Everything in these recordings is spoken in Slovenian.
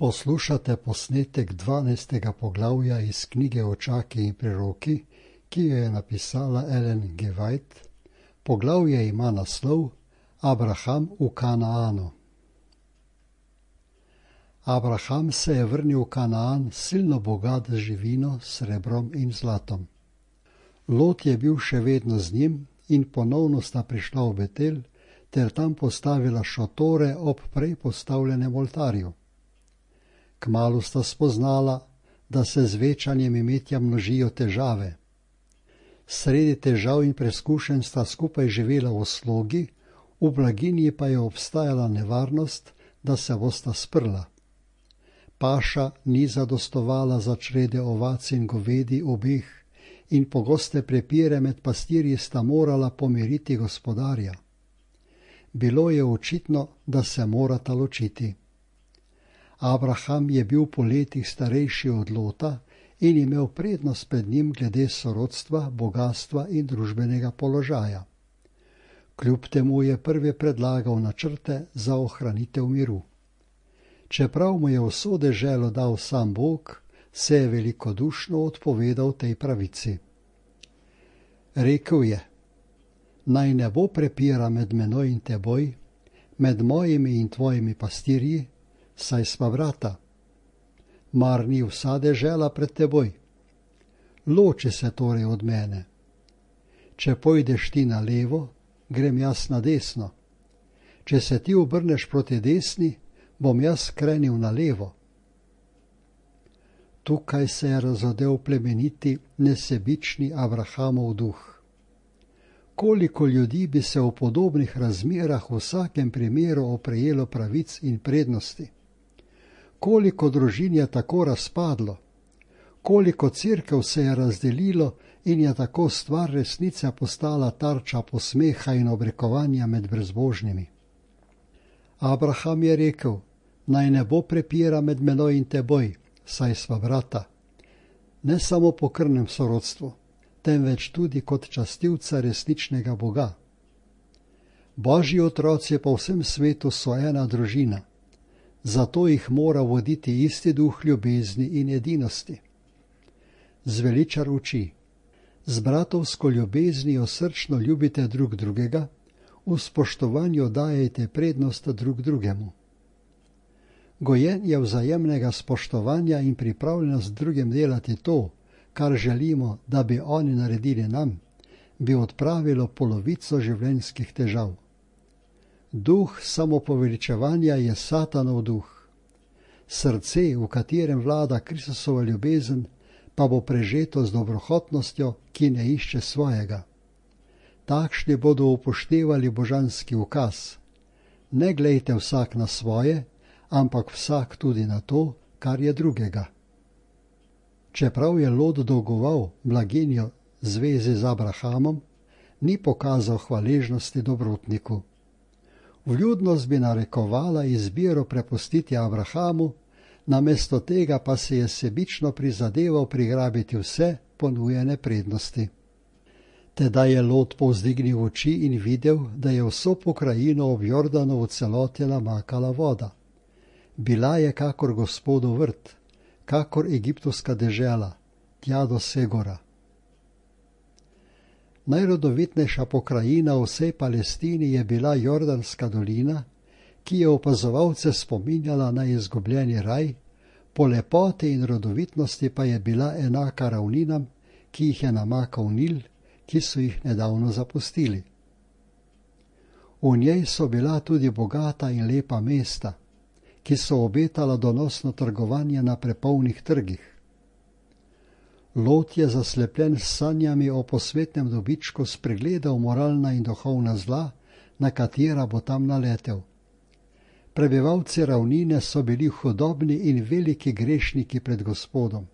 Poslušate posnetek 12. poglavja iz knjige Očaki in preroki, ki jo je napisala Ellen G. White. Poglavje ima naslov Abraham v Kanaanu. Abraham se je vrnil v Kanaan silno bogat z živino, srebrom in zlatom. Lot je bil še vedno z njim in ponovno sta prišla v Betel ter tam postavila šotore ob prej postavljenem oltarju. Kmalu sta spoznala, da se z večanjem imetja množijo težave. Sredi težav in preskušenj sta skupaj živela v slogi, v blaginji pa je obstajala nevarnost, da se bosta sprla. Paša ni zadostovala za črede ovac in govedi obeh in pogoste prepire med pastirji sta morala pomiriti gospodarja. Bilo je očitno, da se morata ločiti. Abraham je bil po letih starejši od Lota in imel prednost pred njim glede sorodstva, bogastva in družbenega položaja. Kljub temu je prvi predlagal načrte za ohranitev miru. Čeprav mu je vso deželo dal sam Bog, se je velikodušno odpovedal tej pravici. Rekel je: naj ne bo prepira med menoj in teboj, med mojimi in tvojimi pastirji, saj sva brata. Mar ni vsa dežela pred teboj? Loči se torej od mene. Če pojdeš ti na levo, grem jaz na desno. Če se ti obrneš proti desni, bom jaz krenil na levo. Tukaj se je razodel plemeniti, nesebični Abrahamov duh. Koliko ljudi bi se v podobnih razmerah v vsakem primeru oprejelo pravic in prednosti? Koliko družin je tako razpadlo? Koliko cerkev se je razdelilo in je tako stvar resnice postala tarča posmeha in obrekovanja med brezbožnimi? Abraham je rekel: naj ne bo prepira med menoj in teboj, saj sva brata. Ne samo po krvnem sorodstvu, temveč tudi kot častilca resničnega Boga. Božji otroci po vsem svetu so ena družina, zato jih mora voditi isti duh ljubezni in edinosti. Zveličar uči: z bratovsko ljubeznijo srčno ljubite drug drugega, v spoštovanju dajete prednost drug drugemu. Gojenje vzajemnega spoštovanja in pripravljenost drugim delati to, kar želimo, da bi oni naredili nam, bi odpravilo polovico življenjskih težav. Duh samopoveličevanja je Satanov duh. Srce, v katerem vlada Kristusova ljubezen, pa bo prežeto z dobrohotnostjo, ki ne išče svojega. Takšni bodo upoštevali božanski ukaz: ne glejte vsak na svoje, ampak vsak tudi na to, kar je drugega. Čeprav je Lot dolgoval blaginjo zvezi z Abrahamom, ni pokazal hvaležnosti dobrotniku. Vljudnost bi narekovala izbiro prepustiti Abrahamu, namesto tega pa se je sebično prizadeval prigrabiti vse ponujene prednosti. Tedaj je Lot povzdignil oči in videl, da je vso pokrajino ob Jordanu v celoti namakala voda. Bila je kakor Gospodov vrt, kakor egiptovska dežela, tja do Segora. Najrodovitnejša pokrajina v vsej Palestini je bila Jordanska dolina, ki je opazovalce spominjala na izgubljeni raj, po lepoti in rodovitnosti pa je bila enaka ravninam, ki jih je namakal Nil, ki so jih nedavno zapustili. V njej so bila tudi bogata in lepa mesta, ki so obetala donosno trgovanje na prepolnih trgih. Lot je zaslepljen s sanjami o posvetnem dobičku spregledal moralna in duhovna zla, na katera bo tam naletel. Prebivalci ravnine so bili hudobni in veliki grešniki pred Gospodom.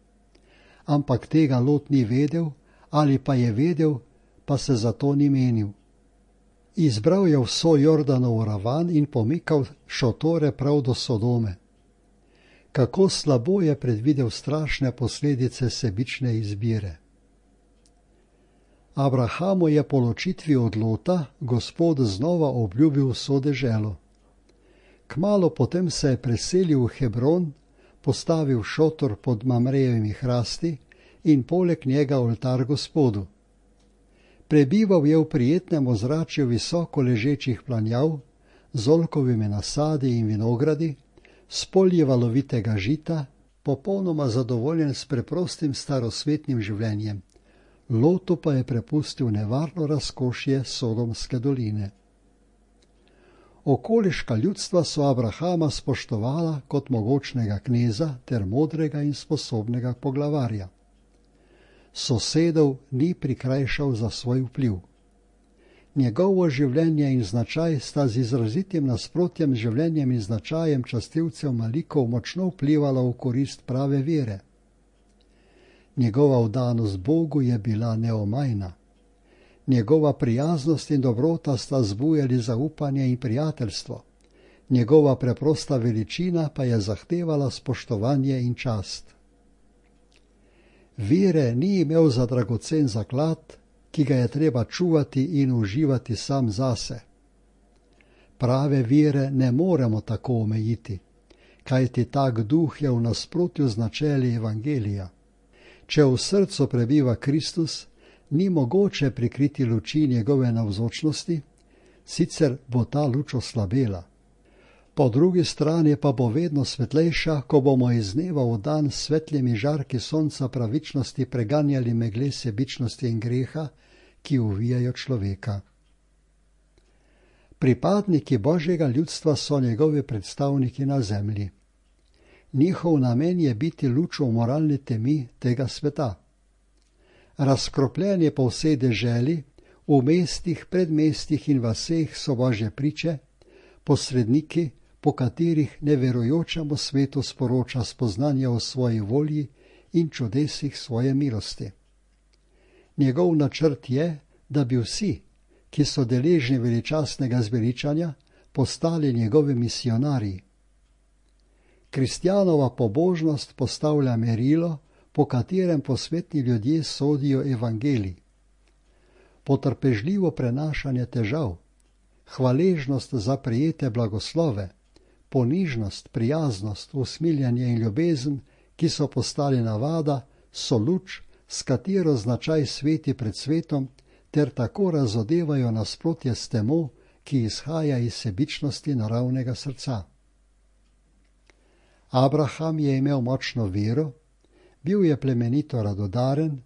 Ampak tega Lot ni vedel, ali pa je vedel, pa se zato ni menil. Izbral je vso Jordanov ravan in pomikal šotore prav do Sodome. Kako slabo je predvidel strašne posledice sebične izbire. Abrahamu je po ločitvi od Lota Gospod znova obljubil vso deželo. Kmalu potem se je preselil v Hebron, postavil šotor pod Mamrejevimi hrasti in poleg njega oltar Gospodu. Prebival je v prijetnem ozračju visoko ležečih planjav, z oljkovimi nasadi in vinogradi, s polji valovitega žita, popolnoma zadovoljen s preprostim starosvetnim življenjem. Lotu pa je prepustil nevarno razkošje Sodomske doline. Okoliška ljudstva so Abrahama spoštovala kot mogočnega kneza ter modrega in sposobnega poglavarja. Sosedov ni prikrajšal za svoj vpliv. Njegovo življenje in značaj sta z izrazitim nasprotjem življenjem in značajem častilcev Malikov močno vplivala v korist prave vere. Njegova vdanost Bogu je bila neomajna. Njegova prijaznost in dobrota sta zbujali zaupanje in prijateljstvo. Njegova preprosta veličina pa je zahtevala spoštovanje in čast. Vere ni imel za dragocen zaklad, ki ga je treba čuvati in uživati sam zase. Prave vere ne moremo tako omejiti, kajti tak duh je v nasprotju z načeli Evangelija. Če v srcu prebiva Kristus, ni mogoče prikriti luči njegove navzočnosti, sicer bo ta luč oslabela. Po drugi strani pa bo vedno svetlejša, ko bomo iz dneva v dan s svetlimi žarki sonca pravičnosti preganjali megle sebičnosti in greha, ki uvijajo človeka. Pripadniki Božjega ljudstva so njegovi predstavniki na zemlji. Njihov namen je biti luč v moralni temi tega sveta. Razkropljeni po vsej deželi, v mestih, predmestih in vaseh so Božje priče, posredniki, po katerih neverujočemu svetu sporoča spoznanje o svoji volji in čudesih svoje milosti. Njegov načrt je, da bi vsi, ki so deležni veličastnega zveličanja, postali njegovi misionarji. Kristjanova pobožnost postavlja merilo, po katerem posvetni ljudje sodijo evangelij. Potrpežljivo prenašanje težav, hvaležnost za prejete blagoslove, ponižnost, prijaznost, usmiljanje in ljubezen, ki so postali navada, so luč, s katero značaj sveti pred svetom, ter tako razodevajo nasprotje s temo, ki izhaja iz sebičnosti naravnega srca. Abraham je imel močno vero, bil je plemenito radodaren,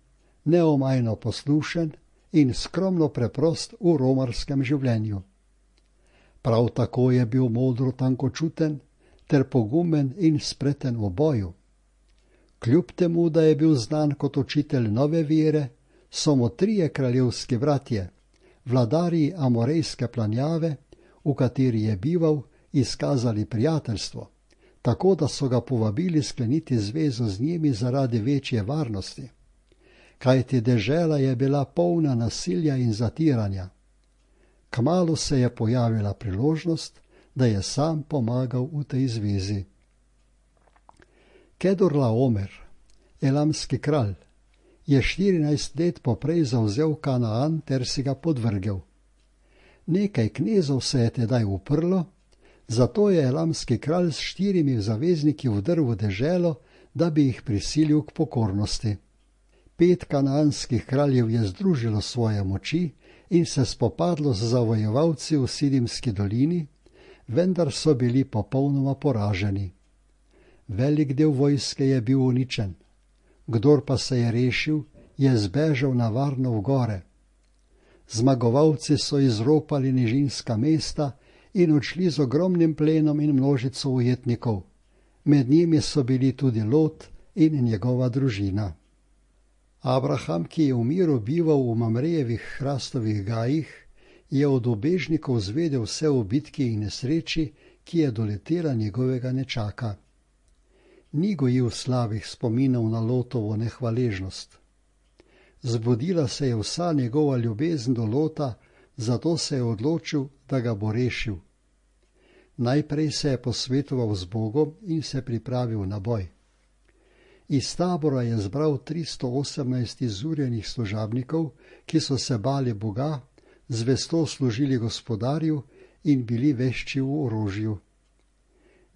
neomajno poslušen in skromno preprost v romarskem življenju. Prav tako je bil modro tankočuten ter pogumen in spreten v boju. Kljub temu, da je bil znan kot učitelj nove vere, so mu 3 kraljevski bratje, vladarji Amorejske planjave, v kateri je bival, izkazali prijateljstvo, tako da so ga povabili skleniti zvezo z njimi zaradi večje varnosti. Kajti dežela je bila polna nasilja in zatiranja. Kmalu se je pojavila priložnost, da je sam pomagal v tej zvezi. Kedorlaomer, elamski kralj, je 14 let poprej zavzel Kanaan ter si ga podvrgel. Nekaj knezov se je tedaj uprlo, zato je elamski kralj s 4 zavezniki vdrl v deželo, da bi jih prisilil k pokornosti. 5 kanaanskih kraljev je združilo svoje moči in se spopadlo z zavojevalci v Sidimski dolini, vendar so bili popolnoma poraženi. Velik del vojske je bil uničen. Kdor pa se je rešil, je zbežal na varno v gore. Zmagovalci so izropali nižinska mesta in odšli z ogromnim plenom in množico ujetnikov. Med njimi so bili tudi Lot in njegova družina. Abraham, ki je v miru bival v Mamrejevih hrastovih gajih, je od ubežnikov zvedel vse o bitki in nesreči, ki je doletela njegovega nečaka. Ni gojil slabih spominov na Lotovo nehvaležnost. Zbudila se je vsa njegova ljubezen do Lota, zato se je odločil, da ga bo rešil. Najprej se je posvetoval z Bogom in se pripravil na boj. Iz tabora je zbral 318 izurjenih služabnikov, ki so se bali Boga, zvesto služili gospodarju in bili vešči v orožju.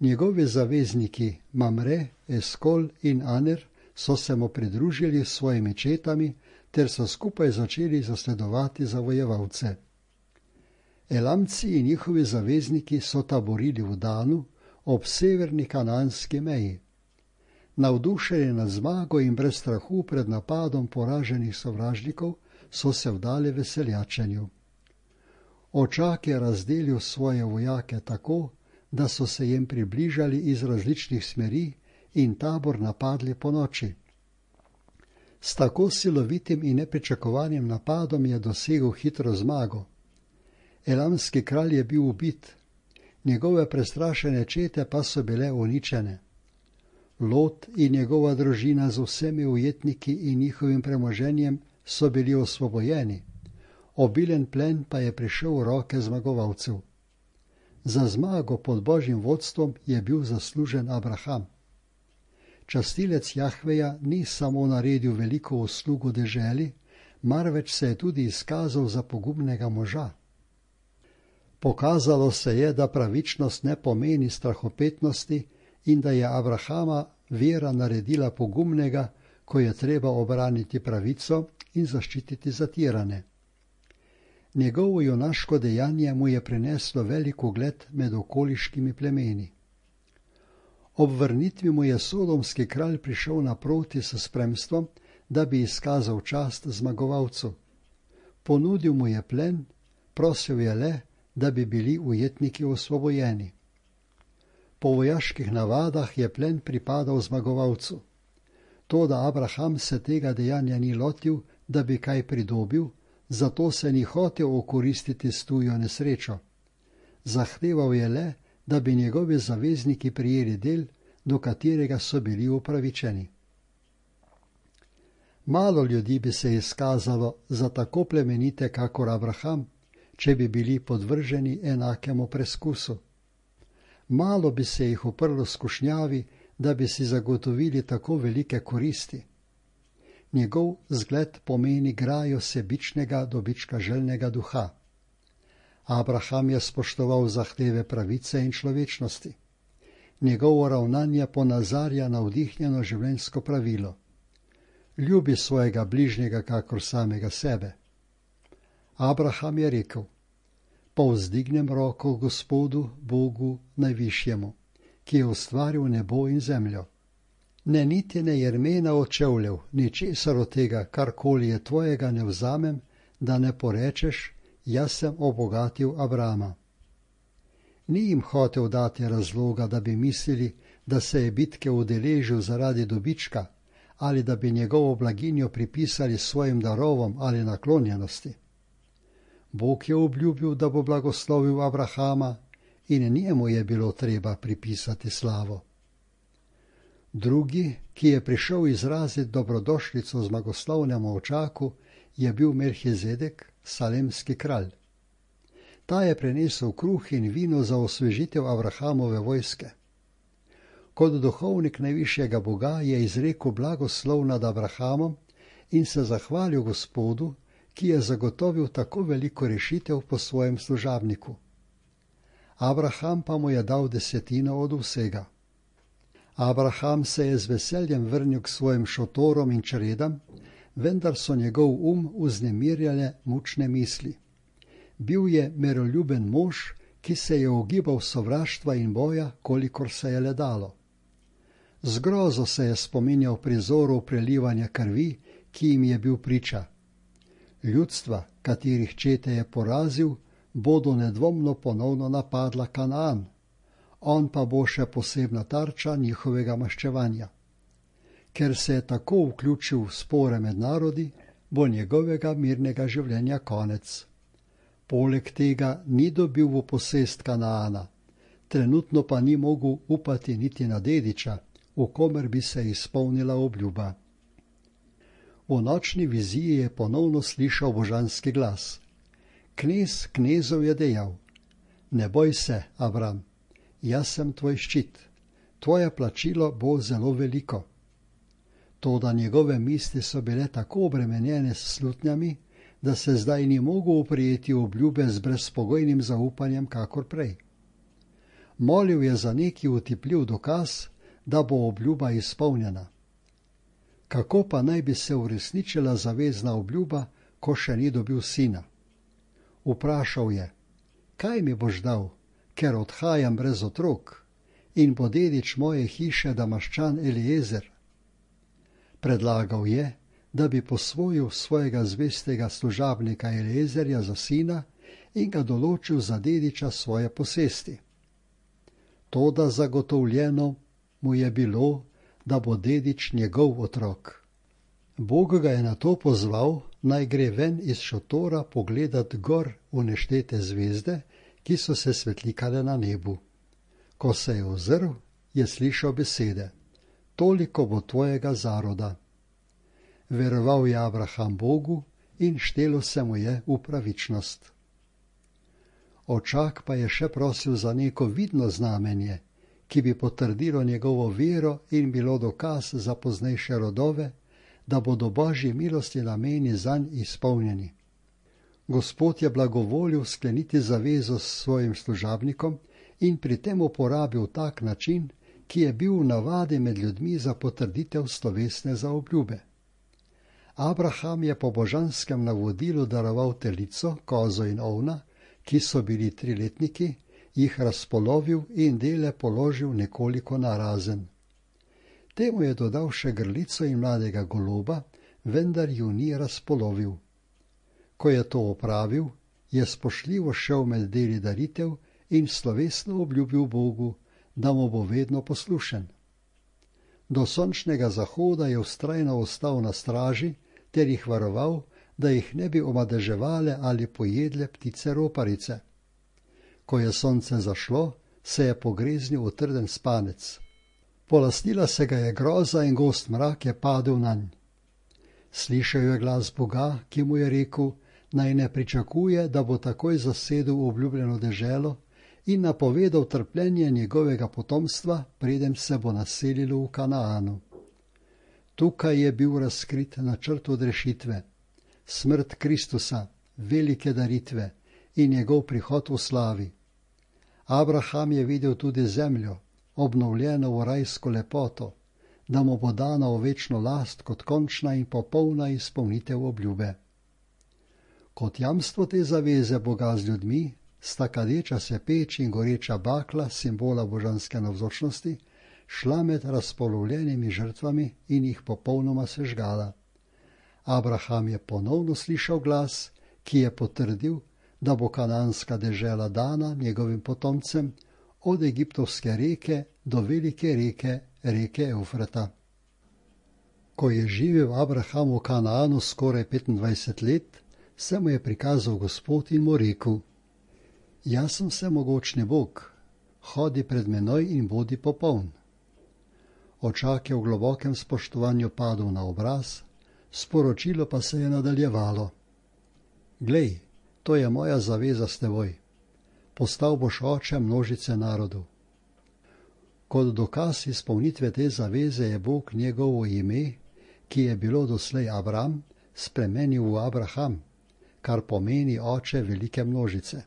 Njegovi zavezniki Mamre, Eskol in Aner so se mu pridružili s svojimi četami ter so skupaj začeli zasledovati zavojevalce. Elamci in njihovi zavezniki so taborili v Danu ob severni kananski meji. Navdušeni nad zmago in brez strahu pred napadom poraženih sovražnikov so se vdali veseljačenju. Očak je razdelil svoje vojake tako, da so se jim približali iz različnih smeri in tabor napadli po noči. S tako silovitim in nepričakovanim napadom je dosegel hitro zmago. Elamski kralj je bil ubit, njegove prestrašene čete pa so bile uničene. Lot in njegova družina z vsemi ujetniki in njihovim premoženjem so bili osvobojeni, obilen plen pa je prišel v roke zmagovalcev. Za zmago pod Božjim vodstvom je bil zaslužen Abraham. Častilec Jahveja ni samo naredil veliko uslugo deželi, marveč se je tudi izkazal za pogumnega moža. Pokazalo se je, da pravičnost ne pomeni strahopetnosti in da je Abrahama vera naredila pogumnega, ko je treba obraniti pravico in zaščititi zatirane. Njegovo junaško dejanje mu je prineslo velik ugled med okoliškimi plemeni. Ob vrnitvi mu je sodomski kralj prišel naproti s spremstvom, da bi izkazal čast zmagovalcu. Ponudil mu je plen, prosil je le, da bi bili ujetniki osvobojeni. Po vojaških navadah je plen pripadal zmagovalcu. Toda Abraham se tega dejanja ni lotil, da bi kaj pridobil, zato se ni hotel okoristiti s tujo nesrečo. Zahteval je le, da bi njegovi zavezniki prijeli del, do katerega so bili upravičeni. Malo ljudi bi se izkazalo za tako plemenite kakor Abraham, če bi bili podvrženi enakemu preskusu. Malo bi se jih uprlo skušnjavi, da bi si zagotovili tako velike koristi. Njegov zgled pomeni grajo sebičnega dobička željnega duha. Abraham je spoštoval zahteve pravice in človečnosti. Njegovo ravnanje ponazarja navdihnjeno življenjsko pravilo. Ljubi svojega bližnjega kakor samega sebe. Abraham je rekel: povzdignem roko Gospodu, Bogu najvišjemu, ki je ustvaril nebo in zemljo. Ne niti ne jermena od čevljev, ničesar od tega, karkoli je tvojega, ne vzamem, da ne porečeš, jaz sem obogatil Abrama. Ni jim hotel dati razloga, da bi mislili, da se je bitke udeležil zaradi dobička ali da bi njegovo blaginjo pripisali svojim darovom ali naklonjenosti. Bog je obljubil, da bo blagoslovil Abrahama in njemu je bilo treba pripisati slavo. Drugi, ki je prišel izraziti dobrodošlico zmagoslavnemu očaku, je bil Melhizedek, salemski kralj. Ta je prinesel kruh in vino za osvežitev Abrahamove vojske. Kot duhovnik najvišjega Boga je izrekel blagoslov nad Abrahamom in se zahvalil Gospodu, ki je zagotovil tako veliko rešitev po svojem služabniku. Abraham pa mu je dal desetino od vsega. Abraham se je z veseljem vrnil k svojim šotorom in čredam, vendar so njegov vznemirjale mučne misli. Bil je miroljuben mož, ki se je ogibal sovraštva in boja, kolikor se je le dalo. Z grozo se je spominjal prizorov prelivanja krvi, ki jim je bil priča. Ljudstva, katerih čete je porazil, bodo nedvomno ponovno napadla Kanaan, on pa bo še posebna tarča njihovega maščevanja. Ker se je tako vključil v spore med narodi, bo njegovega mirnega življenja konec. Poleg tega ni dobil v posest Kanaana, trenutno pa ni mogel upati niti na dediča, v komer bi se izpolnila obljuba. V nočni viziji je ponovno slišal božanski glas. Knez knezov je dejal: ne boj se, Abram, jaz sem tvoj ščit, tvoje plačilo bo zelo veliko. Toda njegove misli so bile tako obremenjene s slutnjami, da se zdaj ni mogel oprijeti obljube z brezpogojnim zaupanjem kakor prej. Molil je za neki utipljiv dokaz, da bo obljuba izpolnjena. Kako pa naj bi se uresničila zavezna obljuba, ko še ni dobil sina? Vprašal je, kaj mi boš dal, ker odhajam brez otrok, in bo dedič moje hiše Damaščan Eliezer? Predlagal je, da bi posvojil svojega zvestega služabnika Eliezerja za sina in ga določil za dediča svoje posesti. Toda zagotovljeno mu je bilo, da bo dedič njegov otrok. Bog ga je nato pozval, naj gre ven iz šotora pogledat gor v neštete zvezde, ki so se svetlikale na nebu. Ko se je ozrl, je slišal besede: toliko bo tvojega zaroda. Veroval je Abraham Bogu in štelo se mu je v pravičnost. Očak pa je še prosil za neko vidno znamenje, ki bi potrdilo njegovo vero in bilo dokaz za poznejše rodove, da bodo Božji milosti nameni zanj izpolnjeni. Gospod je blagovolil skleniti zavezo s svojim služabnikom in pri tem uporabil tak način, ki je bil v navadi med ljudmi za potrditev slovesne zaobljube. Abraham je po božanskem navodilu daroval telico, kozo in ovna, ki so bili 3-letniki, jih razpolovil in dele položil nekoliko narazen. Temu je dodal še grlico in mladega goloba, vendar ju ni razpolovil. Ko je to opravil, je spoštljivo šel med deli daritev in slovesno obljubil Bogu, da mu bo vedno poslušen. Do sončnega zahoda je vztrajno ostal na straži ter jih varoval, da jih ne bi omadeževale ali pojedle ptice roparice. Ko je sonce zašlo, se je pogreznil v trden spanec. Polastila se ga je groza in gost mrak je padel nanj. Slišal je glas Boga, ki mu je rekel, naj ne pričakuje, da bo takoj zasedel obljubljeno deželo in napovedal trpljenje njegovega potomstva, preden se bo naselilo v Kanaanu. Tukaj je bil razkrit načrt odrešitve, smrt Kristusa, velike daritve in njegov prihod v slavi. Abraham je videl tudi zemljo, obnovljeno v rajsko lepoto, da mu bo dana v večno last kot končna in popolna izpolnitev obljube. Kot jamstvo te zaveze Boga z ljudmi sta kadeča se peč in goreča bakla, simbola božanske navzočnosti, šla med razpolovljenimi žrtvami in jih popolnoma sežgala. Abraham je ponovno slišal glas, ki je potrdil, da bo kananska dežela dana njegovim potomcem od egiptovske reke do velike reke, reke Eufrata. Ko je živel Abraham v Kanaanu skoraj 25 let, se mu je prikazal Gospod in mu rekel: Jaz sem vsemogočni Bog, hodi pred menoj in bodi popoln. Očak je v globokem spoštovanju padel na obraz, sporočilo pa se je nadaljevalo: Glej, to je moja zaveza s teboj. Postal boš oče množice narodov. Kot dokaz izpolnitve te zaveze je Bog njegovo ime, ki je bilo doslej Abram, spremenil v Abraham, kar pomeni oče velike množice.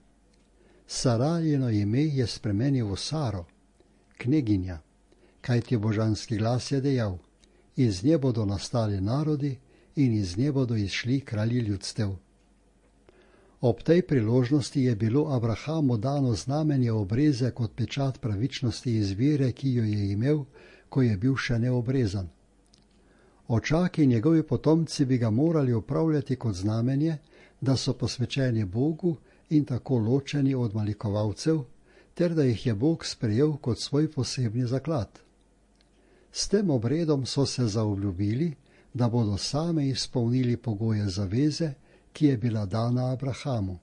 Sarajino ime je spremenil v Saro, kneginja, kajti božanski glas je dejal: iz nje bodo nastali narodi in iz nje bodo izšli kralji ljudstev. Ob tej priložnosti je bilo Abrahamu dano znamenje obreze kot pečat pravičnosti iz vere, ki jo je imel, ko je bil še neobrezan. Očaki in njegovi potomci bi ga morali upravljati kot znamenje, da so posvečeni Bogu in tako ločeni od malikovalcev, ter da jih je Bog sprejel kot svoj posebni zaklad. S tem obredom so se zaobljubili, da bodo same izpolnili pogoje zaveze, ki je bila dana Abrahamu.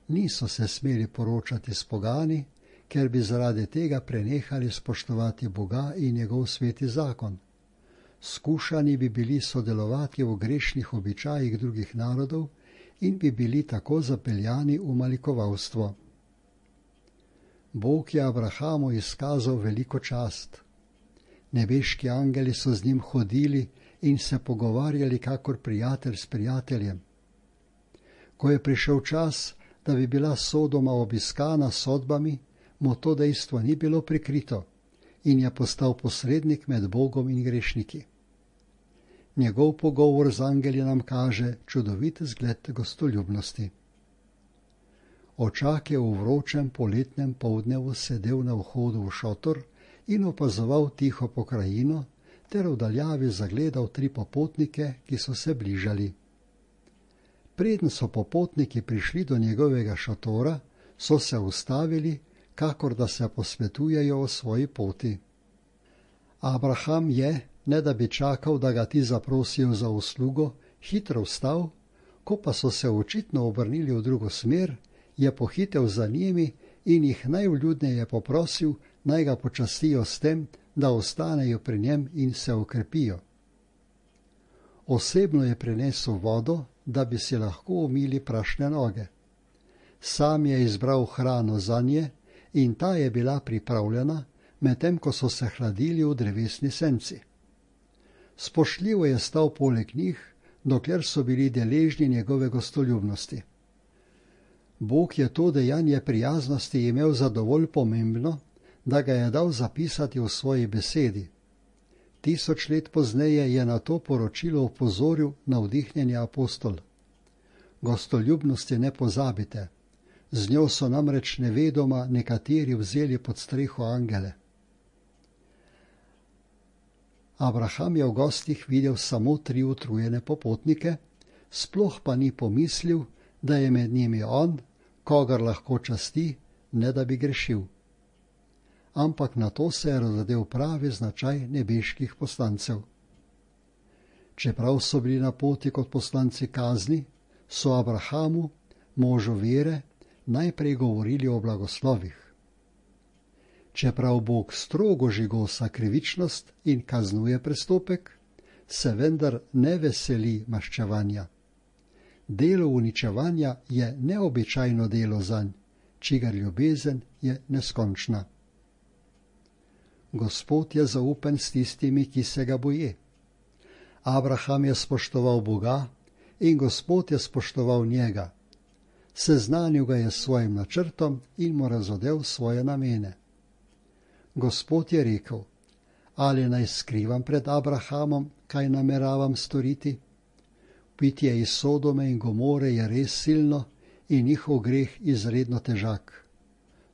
Niso se smeli poročati s pogani, ker bi zaradi tega prenehali spoštovati Boga in njegov sveti zakon. Skušani bi bili sodelovati v grešnih običajih drugih narodov in bi bili tako zapeljani v malikovalstvo. Bog je Abrahamu izkazal veliko čast. Nebeški angeli so z njim hodili in se pogovarjali kakor prijatelj s prijateljem. Ko je prišel čas, da bi bila Sodoma obiskana s sodbami, mu to dejstvo ni bilo prikrito in je postal posrednik med Bogom in grešniki. Njegov pogovor z angeli nam kaže čudovit zgled gostoljubnosti. Očak je v vročem poletnem poldnevu sedel na vhodu v šotor in opazoval tiho pokrajino ter v daljavi zagledal 3 popotnike, ki so se bližali. Preden so popotniki prišli do njegovega šotora, so se ustavili, kakor da se posvetujejo o svoji poti. Abraham je, ne da bi čakal, da ga ti zaprosijo za uslugo, hitro vstal, ko pa so se očitno obrnili v drugo smer, je pohitel za njimi in jih najvljudneje poprosil, naj ga počastijo s tem, da ostanejo pri njem in se okrepijo. Osebno je prinesel vodo, da bi si lahko umili prašne noge. Sam je izbral hrano zanje in ta je bila pripravljena, medtem ko so se hladili v drevesni senci. Spoštljivo je stal poleg njih, dokler so bili deležni njegove gostoljubnosti. Bog je to dejanje prijaznosti imel za dovolj pomembno, da ga je dal zapisati v svoji besedi. 1000 let pozneje je na to poročilo opozoril navdihnjeni apostol. Gostoljubnosti ne pozabite, z njo so namreč nevedoma nekateri vzeli pod streho angele. Abraham je v gostih videl samo 3 utrujene popotnike, sploh pa ni pomislil, da je med njimi on, kogar lahko časti, ne da bi grešil. Ampak na to se je razodel pravi značaj nebeških poslancev. Čeprav so bili na poti kot poslanci kazni, so Abrahamu, možu vere, najprej govorili o blagoslovih. Čeprav Bog strogo žigosa krivičnost in kaznuje prestopek, se vendar ne veseli maščevanja. Delo uničevanja je neobičajno delo zanj, čigar ljubezen je neskončna. Gospod je zaupen s tistimi, ki se ga boje. Abraham je spoštoval Boga in Gospod je spoštoval njega. Seznanil ga je s svojim načrtom in mu razodel svoje namene. Gospod je rekel, ali naj skrivam pred Abrahamom, kaj nameravam storiti? Pitje iz Sodome in Gomore je res silno in njihov greh izredno težak.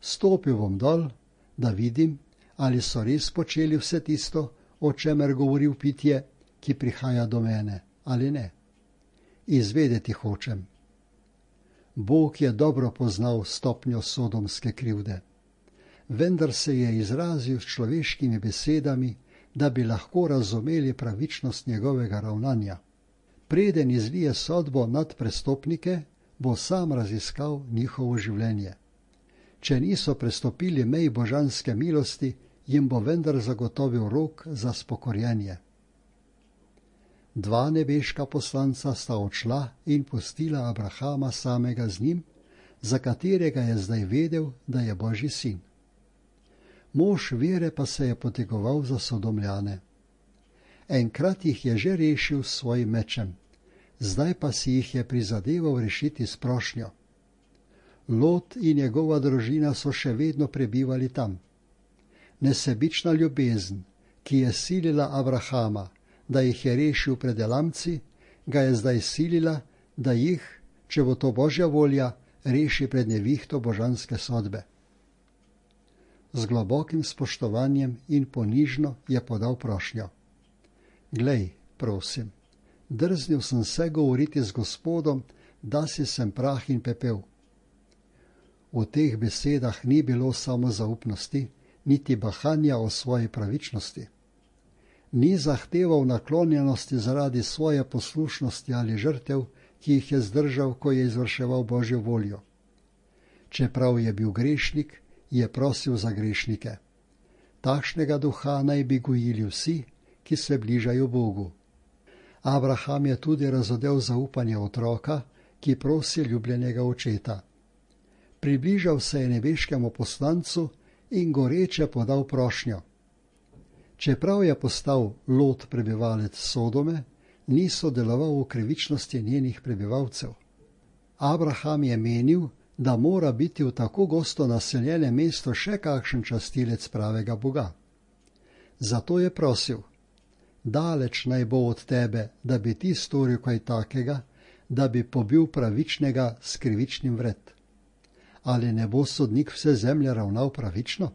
Stopil bom dol, da vidim, ali so res počeli vse tisto, o čemer govori pitje, ki prihaja do mene, ali ne. Izvedeti hočem. Bog je dobro poznal stopnjo sodomske krivde, vendar se je izrazil s človeškimi besedami, da bi lahko razumeli pravičnost njegovega ravnanja. Preden izlije sodbo nad prestopnike, bo sam raziskal njihovo življenje. Če niso prestopili mej božanske milosti, jim bo vendar zagotovil rok za spokorjenje. 2 nebeška poslanca sta odšla in pustila Abrahama samega z njim, za katerega je zdaj vedel, da je Božji sin. Mož vere pa se je potegoval za Sodomljane. Enkrat jih je že rešil s svojim mečem, zdaj pa si jih je prizadeval rešiti s prošnjo. Lot in njegova družina so še vedno prebivali tam. Nesebična ljubezen, ki je silila Abrahama, da jih je rešil pred Elamci, ga je zdaj silila, da jih, če bo to Božja volja, reši pred nevihto božanske sodbe. Z globokim spoštovanjem in ponižno je podal prošnjo. Glej, prosim, drznil sem se govoriti z Gospodom, da si sem prah in pepel. V teh besedah ni bilo samo zaupnosti, niti bahanja o svoji pravičnosti. Ni zahteval naklonjenosti zaradi svoje poslušnosti ali žrtev, ki jih je zdržal, ko je izvrševal Božjo voljo. Čeprav je bil grešnik, je prosil za grešnike. Takšnega duha naj bi gojili vsi, ki se bližajo Bogu. Abraham je tudi razodel zaupanje otroka, ki prosi ljubljenega očeta. Približal se je nebeškemu poslancu in goreče podal prošnjo. Čeprav je postal Lot prebivalec Sodome, ni sodeloval v krivičnosti njenih prebivalcev. Abraham je menil, da mora biti v tako gosto naseljenem mestu še kakšen častilec pravega Boga. Zato je prosil: daleč naj bo od tebe, da bi ti storil kaj takega, da bi pobil pravičnega s krivičnim vred. Ali ne bo sodnik vse zemlje ravnal pravično?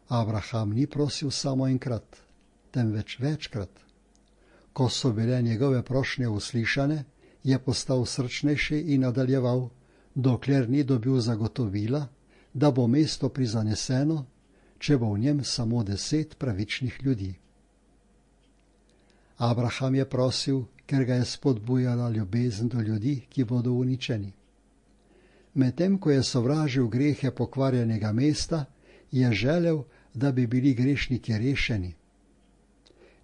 Abraham ni prosil samo enkrat, temveč večkrat. Ko so bile njegove prošnje uslišane, je postal srčnejši in nadaljeval, dokler ni dobil zagotovila, da bo mesto prizaneseno, če bo v njem samo 10 pravičnih ljudi. Abraham je prosil, ker ga je spodbujala ljubezen do ljudi, ki bodo uničeni. Medtem ko je sovražil grehe pokvarjenega mesta, je želel, da bi bili grešniki rešeni.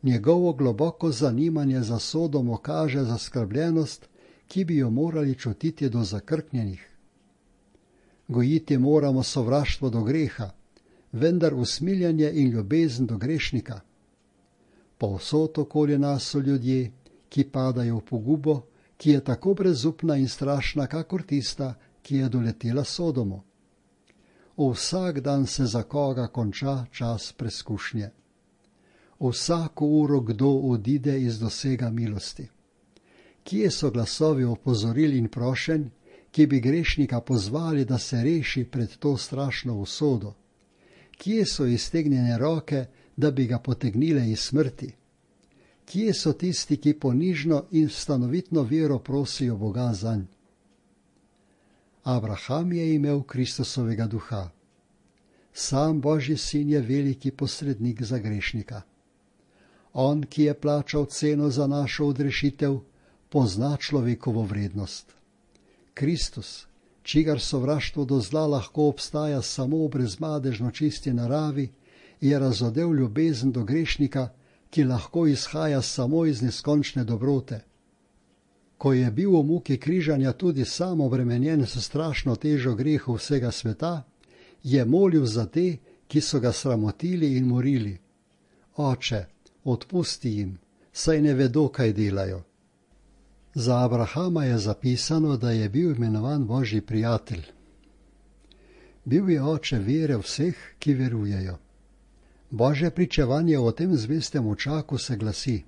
Njegovo globoko zanimanje za Sodomo kaže zaskrbljenost, ki bi jo morali čutiti do zakrknjenih. Gojiti moramo sovraštvo do greha, vendar usmiljenje in ljubezen do grešnika. Povsod okoli nas so ljudje, ki padajo v pogubo, ki je tako brezupna in strašna, kakor tista, ki je doletela Sodomo. Vsak dan se za koga konča čas preskušnje. Vsako uro kdo odide iz dosega milosti. Kje so glasovi opozoril in prošenj, ki bi grešnika pozvali, da se reši pred to strašno usodo? Kje so iztegnjene roke, da bi ga potegnile iz smrti? Kje so tisti, ki ponižno in stanovitno vero prosijo Boga zanj? Abraham je imel Kristusovega duha. Sam Božji sin je veliki posrednik za grešnika. On, ki je plačal ceno za našo odrešitev, pozna človekovo vrednost. Kristus, čigar sovraštvo do zla lahko obstaja samo v brezmadežno čisti naravi, je razodel ljubezen do grešnika, ki lahko izhaja samo iz neskončne dobrote. Ko je bil v muki križanja tudi sam obremenjen s strašno težo grehu vsega sveta, je molil za te, ki so ga sramotili in morili: Oče, odpusti jim, saj ne vedo, kaj delajo. Za Abrahama je zapisano, da je bil imenovan Božji prijatelj. Bil je oče vere vseh, ki verujejo. Božje pričevanje o tem zvestem očaku se glasi: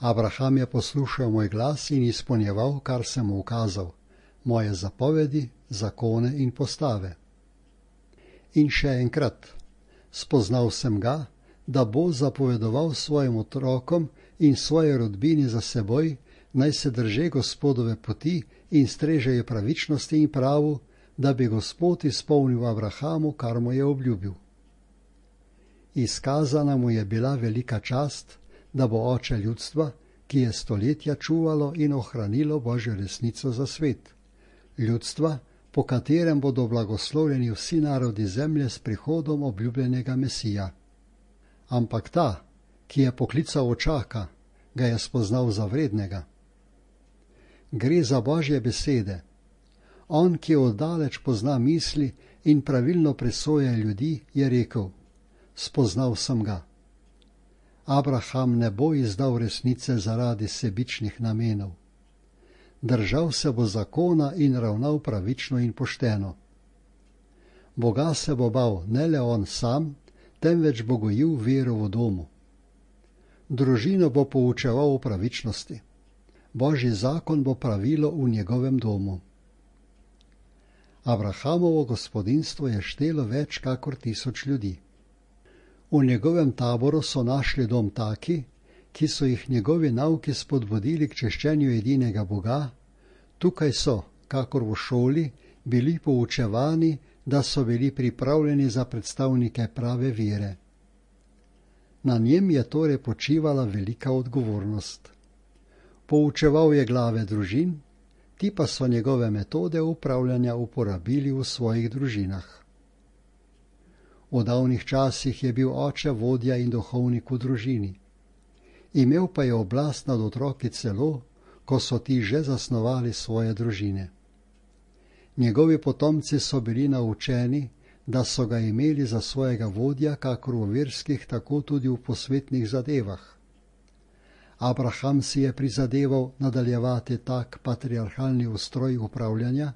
Abraham je poslušal moj glas in izpolnjeval, kar sem mu ukazal, moje zapovedi, zakone in postave. In še enkrat, spoznal sem ga, da bo zapovedoval svojim otrokom in svoje rodbini za seboj, naj se drže Gospodove poti in strežejo pravičnosti in pravu, da bi Gospod izpolnil Abrahamu, kar mu je obljubil. Izkazana mu je bila velika čast, da bo oče ljudstva, ki je stoletja čuvalo in ohranilo Božjo resnico za svet. Ljudstva, po katerem bodo blagoslovljeni vsi narodi zemlje s prihodom obljubljenega Mesija. Ampak ta, ki je poklical očaka, ga je spoznal za vrednega. Gre za Božje besede. On, ki oddaleč pozna misli in pravilno presoja ljudi, je rekel: spoznal sem ga. Abraham ne bo izdal resnice zaradi sebičnih namenov. Držal se bo zakona in ravnal pravično in pošteno. Boga se bo bal ne le on sam, temveč bo gojil vero v domu. Družino bo poučeval o pravičnosti. Božji zakon bo pravilo v njegovem domu. Abrahamovo gospodinstvo je štelo več kakor 1000 ljudi. V njegovem taboru so našli dom taki, ki so jih njegovi nauki spodbudili k češčenju edinega Boga. Tukaj so, kakor v šoli, bili poučevani, da so bili pripravljeni za predstavnike prave vere. Na njem je torej počivala velika odgovornost. Poučeval je glave družin, ti pa so njegove metode upravljanja uporabili v svojih družinah. V davnih časih je bil oče vodja in duhovnik v družini. Imel pa je oblast nad otroki celo, ko so ti že zasnovali svoje družine. Njegovi potomci so bili naučeni, da so ga imeli za svojega vodja, kakor v verskih, tako tudi v posvetnih zadevah. Abraham si je prizadeval nadaljevati tak patriarhalni ustroj upravljanja,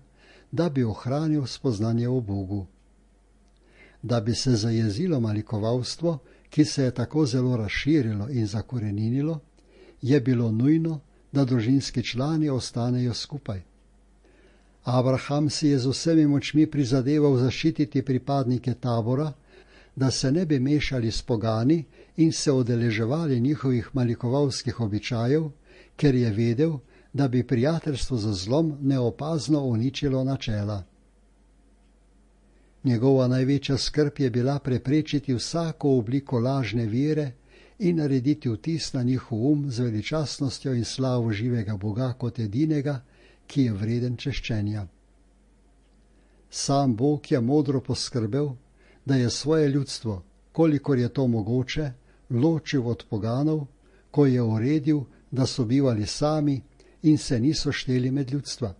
da bi ohranil spoznanje o Bogu. Da bi se zajezilo malikovalstvo, ki se je tako zelo razširilo in zakoreninilo, je bilo nujno, da družinski člani ostanejo skupaj. Abraham si je z vsemi močmi prizadeval zaščititi pripadnike tabora, da se ne bi mešali s pogani in se udeleževali njihovih malikovalskih običajev, ker je vedel, da bi prijateljstvo z zlom neopazno uničilo načela. Njegova največja skrb je bila preprečiti vsako obliko lažne vere in narediti vtis na njihov z veličastnostjo in slavo živega Boga kot edinega, ki je vreden češčenja. Sam Bog je modro poskrbel, da je svoje ljudstvo, kolikor je to mogoče, ločil od poganov, ko je uredil, da so bivali sami in se niso šteli med ljudstva.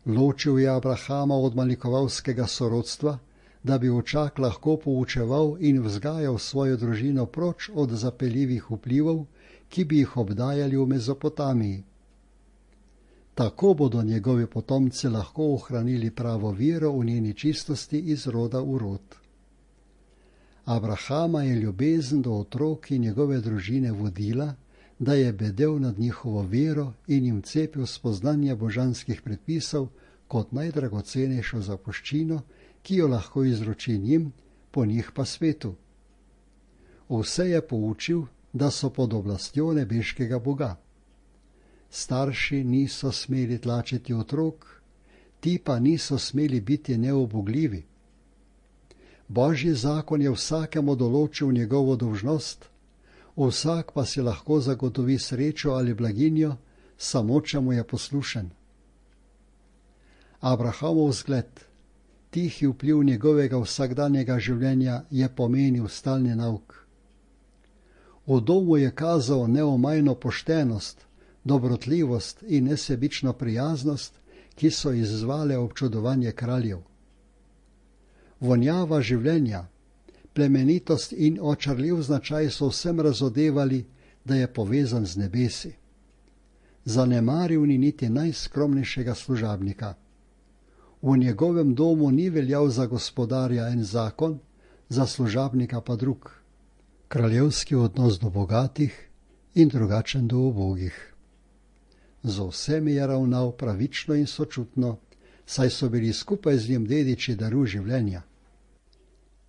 Ločil je Abrahama od malikovalskega sorodstva, da bi očak lahko poučeval in vzgajal svojo družino proč od zapeljivih vplivov, ki bi jih obdajali v Mezopotamiji. Tako bodo njegovi potomci lahko ohranili pravo vero v njeni čistosti iz roda v rod. Abrahama je ljubezen do otrok in njegove družine vodila, da je bedel nad njihovo vero in jim cepil spoznanje božanskih predpisov kot najdragocenejšo zapuščino, ki jo lahko izroči njim, po njih pa svetu. Vse je poučil, da so pod oblastjo nebeškega Boga. Starši niso smeli tlačiti otrok, ti pa niso smeli biti neubogljivi. Božji zakon je vsakemu določil njegovo dolžnost, vsak pa si lahko zagotovi srečo ali blaginjo, samo če mu je poslušen. Abrahamov zgled, tihi vpliv njegovega vsakdanjega življenja je pomenil stalni nauk. V domu je kazal neomajno poštenost, dobrotljivost in nesebično prijaznost, ki so izzvale občudovanje kraljev. Vonjava življenja, plemenitost in očarljiv značaj so vsem razodevali, da je povezan z nebesi. Zanemaril ni niti najskromnejšega služabnika. V njegovem domu ni veljal za gospodarja en zakon, za služabnika pa drug. Kraljevski odnos do bogatih in drugačen do ubogih. Z vsemi je ravnal pravično in sočutno, saj so bili skupaj z njim dediči daru življenja.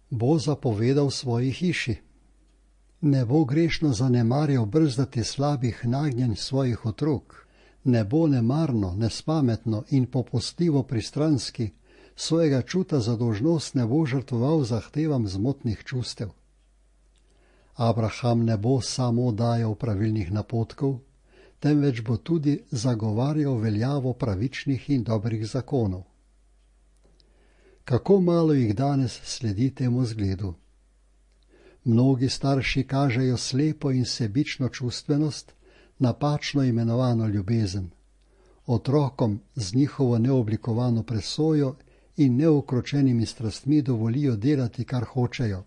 Bo zapovedal svoji hiši. Ne bo grešno zanemarjal brzdati slabih nagnjenj svojih otrok, ne bo nemarno, nespametno in popustljivo pristranski, svojega čuta za dolžnost ne bo žrtvoval zahtevam zmotnih čustev. Abraham ne bo samo dajal pravilnih napotkov, temveč bo tudi zagovarjal veljavo pravičnih in dobrih zakonov. Kako malo jih danes sledi temu zgledu. Mnogi starši kažejo slepo in sebično čustvenost, napačno imenovano ljubezen, otrokom z njihovo neoblikovano presojo in neukročenimi strastmi dovolijo delati, kar hočejo.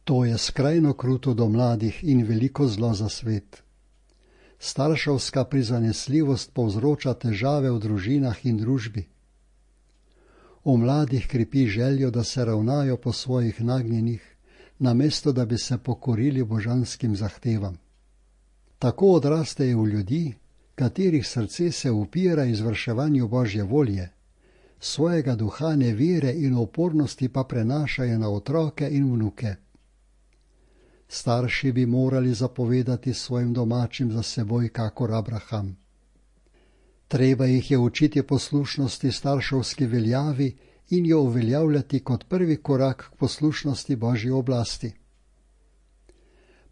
To je skrajno kruto do mladih in veliko zlo za svet. Starševska prizanesljivost povzroča težave v družinah in družbi. V mladih krepi željo, da se ravnajo po svojih nagnjenih, namesto da bi se pokorili božanskim zahtevam. Tako odrastejo v ljudi, katerih srce se upira izvrševanju Božje volje, svojega duha nevere in opornosti pa prenašajo na otroke in vnuke. Starši bi morali zapovedati svojim domačim za seboj kakor Abraham. Treba jih je učiti poslušnosti starševski veljavi in jo uveljavljati kot prvi korak k poslušnosti Božji oblasti.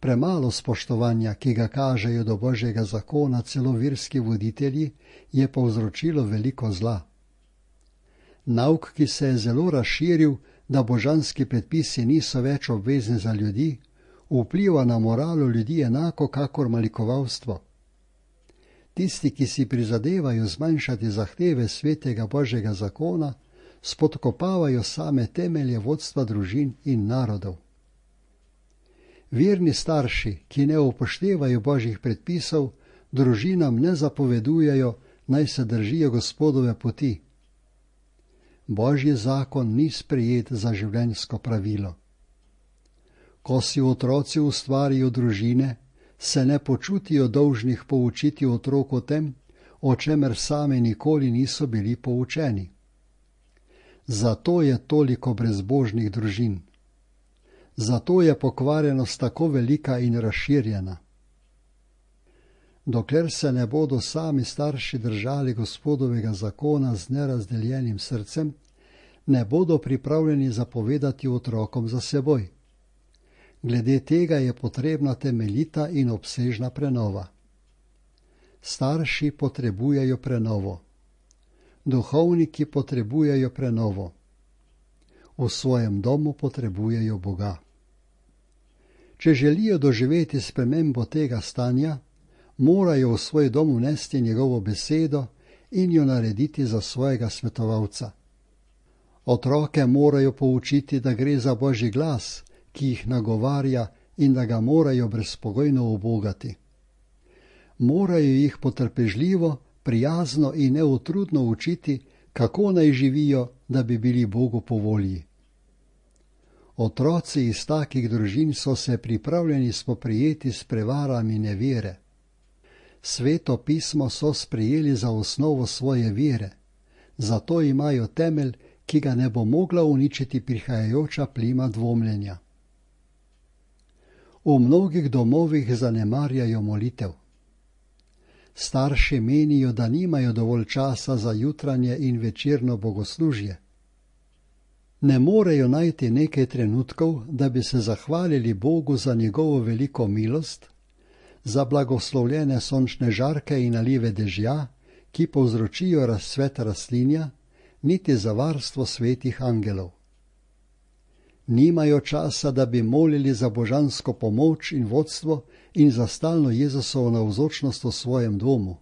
Premalo spoštovanja, ki ga kažejo do Božjega zakona celo verski voditelji, je povzročilo veliko zla. Nauk, ki se je zelo razširil, da božanski predpisi niso več obvezni za ljudi, vpliva na moralo ljudi enako kakor malikovalstvo. Tisti, ki si prizadevajo zmanjšati zahteve svetega Božjega zakona, spodkopavajo same temelje vodstva družin in narodov. Verni starši, ki ne upoštevajo božjih predpisov, družinam ne zapovedujejo, naj se držijo Gospodove poti. Božji zakon ni sprejet za življenjsko pravilo. Ko si otroci ustvarijo družine, se ne počutijo dolžnih poučiti otrok o tem, o čemer sami nikoli niso bili poučeni. Zato je toliko brezbožnih družin. Zato je pokvarjenost tako velika in razširjena. Dokler se ne bodo sami starši držali Gospodovega zakona z nerazdeljenim srcem, ne bodo pripravljeni zapovedati otrokom za seboj. Glede tega je potrebna temeljita in obsežna prenova. Starši potrebujejo prenovo. Duhovniki potrebujejo prenovo. V svojem domu potrebujejo Boga. Če želijo doživeti spremembo tega stanja, morajo v svoj dom vnesti njegovo besedo in jo narediti za svojega svetovalca. Otroke morajo poučiti, da gre za Božji glas, ki jih nagovarja in da ga morajo brezpogojno ubogati. Morajo jih potrpežljivo, prijazno in neutrudno učiti, kako naj živijo, da bi bili Bogu po volji. Otroci iz takih družin so se pripravljeni spoprijeti s prevarami nevere. Sveto pismo so sprejeli za osnovo svoje vere, zato imajo temelj, ki ga ne bo mogla uničiti prihajajoča plima dvomljenja. V mnogih domovih zanemarjajo molitev. Starši menijo, da nimajo dovolj časa za jutranje in večerno bogoslužje. Ne morejo najti nekaj trenutkov, da bi se zahvalili Bogu za njegovo veliko milost, za blagoslovljene sončne žarke in nalive dežja, ki povzročijo razcvet rastlinja, niti za varstvo svetih angelov. Nimajo časa, da bi molili za božansko pomoč in vodstvo in za stalno Jezusovo navzočnost v svojem domu.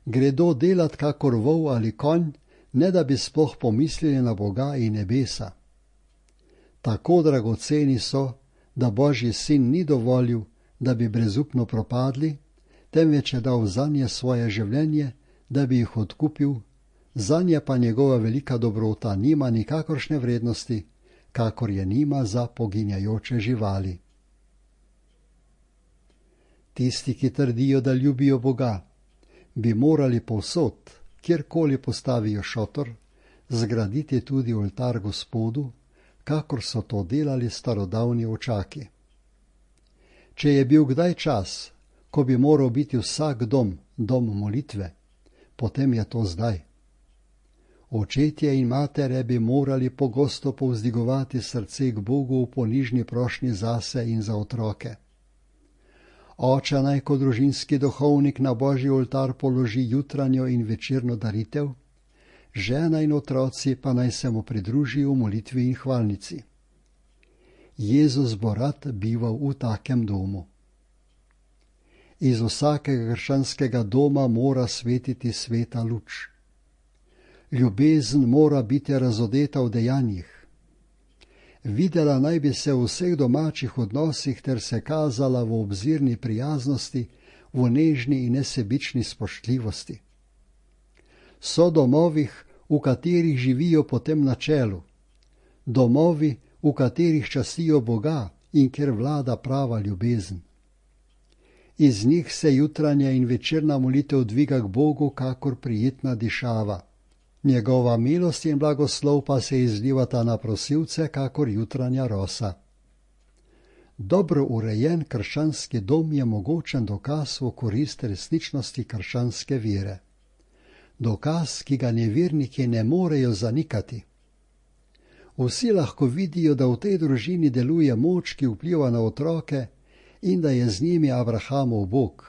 Gredo delat kakor vol ali konj, ne da bi sploh pomislili na Boga in nebesa. Tako dragoceni so, da Božji sin ni dovolil, da bi brezupno propadli, temveč je dal zanje svoje življenje, da bi jih odkupil, zanje pa njegova velika dobrota nima nikakršne vrednosti, kakor je nima za poginjajoče živali. Tisti, ki trdijo, da ljubijo Boga, bi morali povsod, kjerkoli postavijo šotor, zgraditi tudi oltar Gospodu, kakor so to delali starodavni očaki. Če je bil kdaj čas, ko bi moral biti vsak dom molitve, potem je to zdaj. Očetje in matere bi morali pogosto povzdigovati srce k Bogu v ponižni prošnji zase in za otroke. Oče naj kot družinski duhovnik na Božji oltar položi jutranjo in večerno daritev, žena in otroci pa naj se mu pridružijo v molitvi in hvalnici. Jezus bo rad bival v takem domu. Iz vsakega krščanskega doma mora svetiti sveta luč. Ljubezen mora biti razodeta v dejanjih. Videla naj bi se v vseh domačih odnosih ter se kazala v obzirni prijaznosti, v nežni in nesebični spoštljivosti. So domovih, v katerih živijo po tem načelu, domovi, v katerih častijo Boga in kjer vlada prava ljubezen. Iz njih se jutranja in večerna molitev dviga k Bogu kakor prijetna dišava. Njegova milost in blagoslov pa se izlivata na prosilce kakor jutranja rosa. Dobro urejen krščanski dom je mogočen dokaz v korist resničnosti krščanske vere. Dokaz, ki ga neverniki ne morejo zanikati. Vsi lahko vidijo, da v tej družini deluje moč, ki vpliva na otroke in da je z njimi Abrahamov Bog.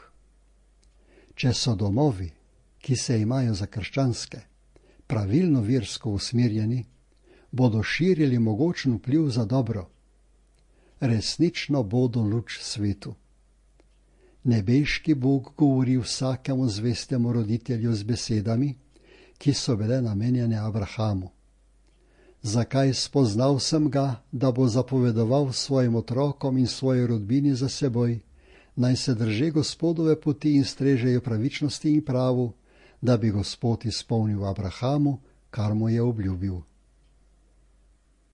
Če so domovi, ki se imajo za krščanske, pravilno versko usmerjeni, bodo širili mogočen vpliv za dobro. Resnično bodo luč svetu. Nebeški Bog govori vsakemu zvestemu roditelju z besedami, ki so bile namenjene Abrahamu. Zakaj spoznal sem ga, da bo zapovedoval svojim otrokom in svoji rodbini za seboj, naj se drže Gospodove poti in strežejo pravičnosti in pravu, da bi Gospod izpolnil Abrahamu, kar mu je obljubil.